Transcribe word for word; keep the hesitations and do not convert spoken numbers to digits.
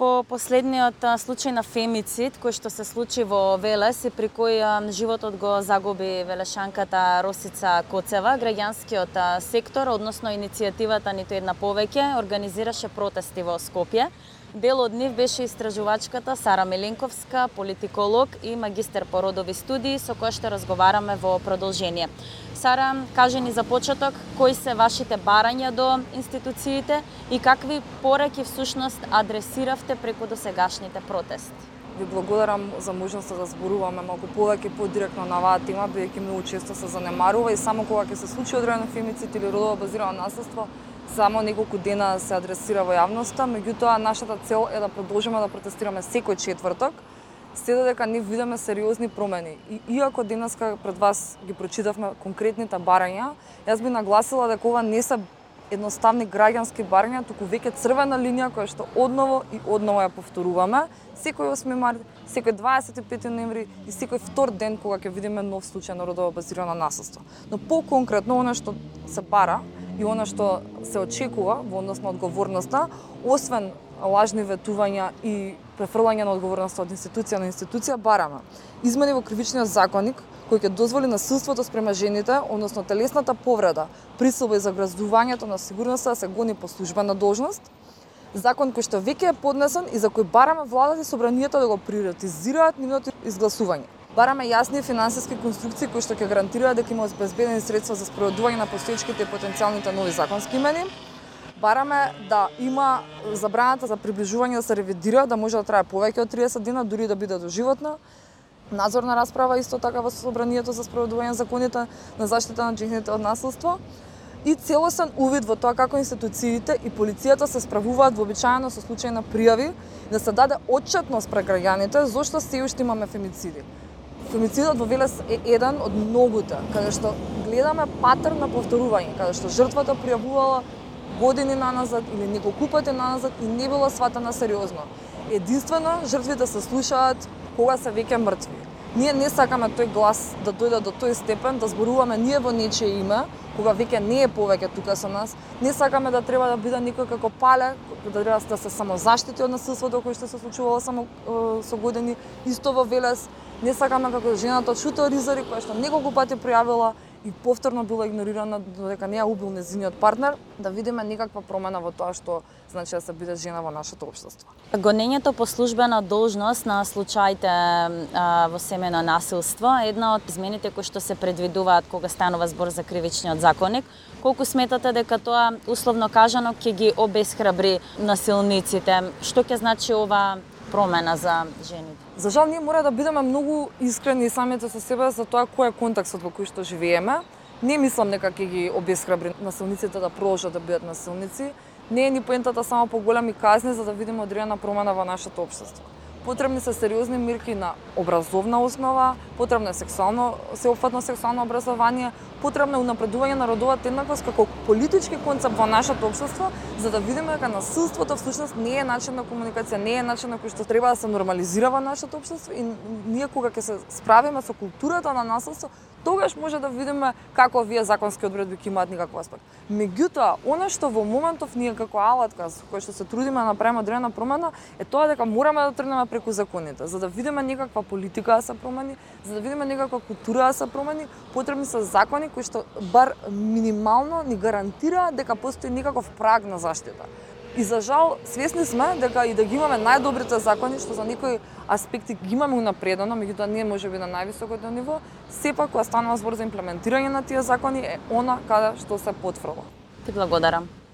По последниот случај на фемицид кој што се случи во Велес и при кој животот го загуби велешанката Росица Коцева, граѓанскиот сектор, односно иницијативата Ниту една повеќе, организираше протести во Скопје. Дел од нив беше истражувачката Сара Меленковска, политиколог и магистер по родови студии, со која што разговараме во продолжение. Сара, кажи ни за почеток, кои се вашите барања до институциите и какви пораки всушност адресиравте преку досегашните протести? Ви благодарам за можноста да зборуваме малку повеќе подиректно на оваа тема, бидејќи многу често се занемарува и само кога ќе се случи одреден фемицид или родово базирано насилство, само неколку дена се адресира во јавноста. Меѓутоа, нашата цел е да продолжиме да протестираме секој четврток, се додека не видиме сериозни промени. И иако денеска пред вас ги прочитавме конкретните барања, јас би нагласила дека ова не се едноставни граѓански барања, туку веќе црвена линија која што одново и одново ја повторуваме секој осми март, секој дваесет и пети ноември и секој втор ден кога ќе видиме нов случај на родово базирано насилство. Но по-конкретно она што се бара и она што се очекува во однос на одговорноста, освен лажни ветувања и префрлање на одговорноста од институција на институција, бараме измени во кривичниот законник кој ќе дозволи насилството спрема жените, односно телесната повреда, присилба и загрозувањето на сигурноста да се гони по службена должност, закон кој што веќе е поднесен и за кој бараме владата и собранието да го приоритизираат нивното изгласување. Бараме јасни финансиски конструкции кои што ќе гарантираат дека има обезбедени средства за спроведување на постоечките и потенцијалните нови законски имени. Бараме да има забраната за приближување да се ревидира, да може да трае повеќе од триесет дена, дури да биде доживотна. Надзорна расправа исто така во собранието за спроведување на законите на заштита на жените од насилство и целосен увид во тоа како институциите и полицијата се справуваат вообичаено со случаи на пријави, да се даде отчетност пред граѓаните зошто се уште имаме фемициди. Фемицидот во Велес е еден од многуте, каде што гледаме патерн на повторување, каде што жртвата пријавувала години наназад или неколку пати наназад и не била сватена сериозно. Единствено, жртвите се слушаат кога се веќе мртви. Ние не сакаме тој глас да дојде до тој степен, да зборуваме ние во нечие име, кога веќе не е повеќе тука со нас. Не сакаме да треба да биде некој како Пале, да треба да се самозаштити од насилството кој што се случувало само е, со години, исто во Велес. Не сакаме како жената од Шуто Ризари, која што неколку пати пријавила и повторно била игнорирана додека не ја убил нејзиниот партнер, да видиме некаква промена во тоа што значи да се биде жена во нашето општество. Гонењето по службена должност на случаите а, во семејно насилство е една од измените кои што се предвидуваат кога станува збор за кривичниот законник. Колку сметате дека тоа условно кажано ќе ги обесхрабри насилниците? Што ќе значи ова промена за жените? За жал, ние мора да бидеме многу искрени самите со себе за тоа кој е контекстот во кој што живееме. Не мислам дека ќе ги обесхрабри насилниците да продолжат да бидат насилници. Не е ни поентата само по големи казни за да видиме одредена промена во нашето општество. Потребни се сериозни мерки на образовна основа, потребно е сексуално, сеопфатно сексуално образование, потребно е унапредување на родовата еднаквост како политички концепт во нашето општество, за да видиме дека насилството всушност не е начин на комуникација, не е начин на кој што треба да се нормализира во нашето општество и ние кога ќе се справиме со културата на насилство, тогаш може да видиме како овие законски одредби ќе имаат никаков аспект. Меѓутоа, она што во моментов ние како алатка со кој што се трудиме да направиме одредена промена е тоа дека мораме да тргнеме преку законите, за да видиме некаква политика да се промени, за да видиме некаква култура да се промени, потребни се закони кои што бар минимално ни гарантираат дека постои некаков праг на заштита. И за жал, свесни сме дека и да ги имаме најдобрите закони, што за некои аспекти ги имаме унапредено, меѓутоа не може би на највисокото ниво, сепак кога станува збор за имплементирање на тие закони е она каде што се потфрла. Ти благодарам.